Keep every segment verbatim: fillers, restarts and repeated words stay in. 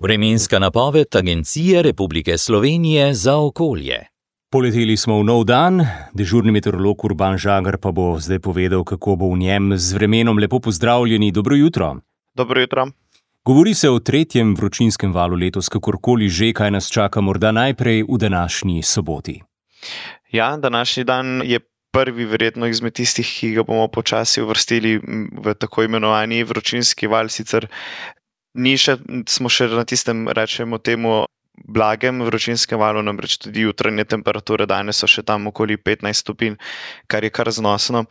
Vremenska napoved Agencije Republike Slovenije za okolje. Poleteli smo v nov dan, dežurni meteorolog Urban Žagar pa bo zdaj povedal, kako bo v njem z vremenom. Lepo pozdravljeni, dobro jutro. Dobro jutro. Govori se o tretjem vročinskem valu letos, kakorkoli že, kaj nas čaka morda najprej v današnji soboti. Ja, današnji dan je prvi verjetno izmed tistih, ki ga bomo počasi uvrstili v tako imenovani vročinski val, sicer ni še, smo še na tistem, rečemo temu, blagem vročinskem valu, namreč tudi jutranje temperature danes so še tam okoli petnajst stopinj, kar je kar znosno.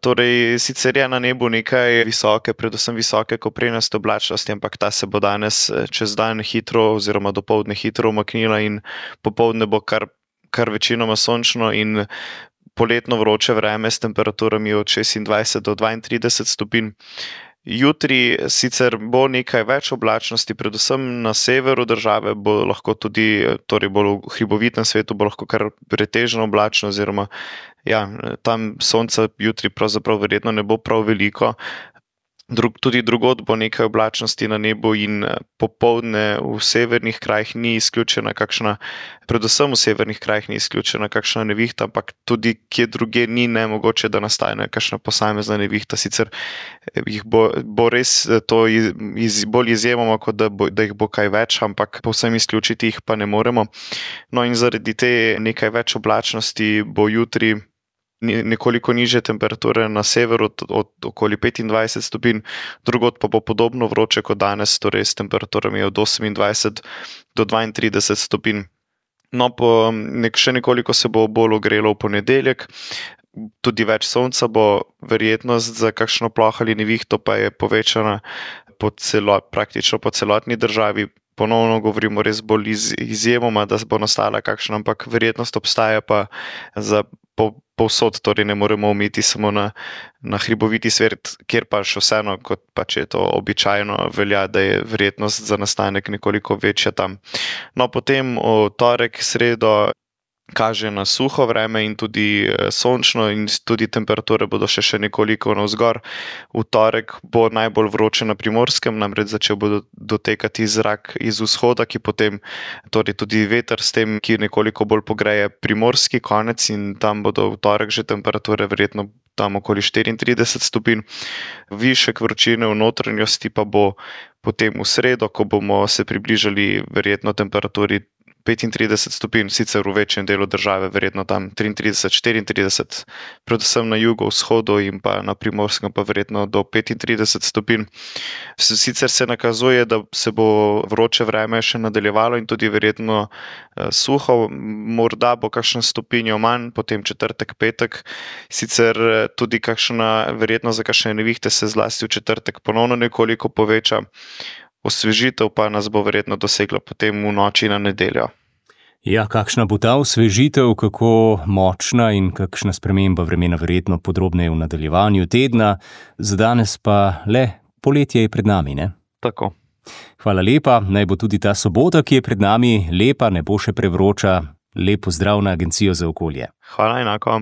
Torej, sicer je na nebu nekaj visoke, predvsem visoke koprenaste oblačnosti, ampak ta se bo danes čez dan hitro oziroma dopoldne hitro umaknila in popoldne bo kar, kar večinoma sončno in poletno vroče vreme s temperaturami od šestindvajset do dvaintrideset stopinj. Jutri sicer bo nekaj več oblačnosti, predvsem na severu države bo lahko tudi, torej bolj v hribovitnem svetu bo lahko kar pretežno oblačno, oziroma ja, tam sonca jutri pravzaprav verjetno ne bo prav veliko. Drug, tudi drugod bo nekaj oblačnosti na nebu in popoldne v severnih krajih ni izključena kakšna, predvsem v severnih krajih ni izključena kakšna nevihta, ampak tudi kje druge ni nemogoče, da nastane kakšna posamezna nevihta. Sicer jih bo, bo res to iz, iz, bolj izjemoma, kot da, bo, da jih bo kaj več, ampak povsem izključiti jih pa ne moremo. No in zaradi te nekaj več oblačnosti bo jutri nekoliko nižje temperature na severu, od, od okoli petindvajset stopinj, drugod pa bo podobno vroče kot danes, torej s temperaturami od osemindvajset do dvaintrideset stopinj. No, po nek, še nekoliko se bo bolj ogrelo v ponedeljek, tudi več sonca bo, verjetnost za kakšno ploh ali nevihto pa je povečana po celo, praktično po celotni državi. Ponovno govorimo res bolj iz, izjemoma, da bo nastala kakšna, ampak verjetnost obstaja pa za po, povsod, torej ne moremo ometi samo na, na hriboviti svet, kjer pa še vseeno, kot pa če je to običajno, velja, da je verjetnost za nastanek nekoliko večja tam. No, potem v torek, sredo kaže na suho vreme in tudi sončno in tudi temperature bodo še, še nekoliko navzgor. V torek bo najbolj vroče na Primorskem, namreč začel bo dotekati zrak iz vzhoda, ki potem, torej tudi veter s tem, ki nekoliko bolj pogreje primorski konec in tam bodo v torek že temperature verjetno tam okoli štiriintrideset stopinj. Višek vročine v notranjosti pa bo potem v sredo, ko bomo se približali verjetno temperaturi petintrideset stopinj, sicer v večjem delu države, verjetno tam triintrideset, štiriintrideset, predvsem na jugovzhodu in pa na Primorskem pa verjetno do petintrideset stopinj. Sicer se nakazuje, da se bo vroče vreme še nadaljevalo in tudi verjetno eh, suho, morda bo kakšen stopinjo manj, potem četrtek, petek, sicer eh, tudi kakšna verjetnost za kakšne nevihte se zlasti v četrtek ponovno nekoliko poveča. Osvežitev pa nas bo verjetno dosegla potem v noči na nedeljo. Ja, kakšna bo ta osvežitev, kako močna in kakšna sprememba vremena verjetno podrobneje v nadaljevanju tedna. Za danes pa le poletje je pred nami, ne? Tako. Hvala lepa, naj bo tudi ta sobota, ki je pred nami, lepa, ne bo še prevroča. Lep pozdrav na Agencijo za okolje. Hvala enako.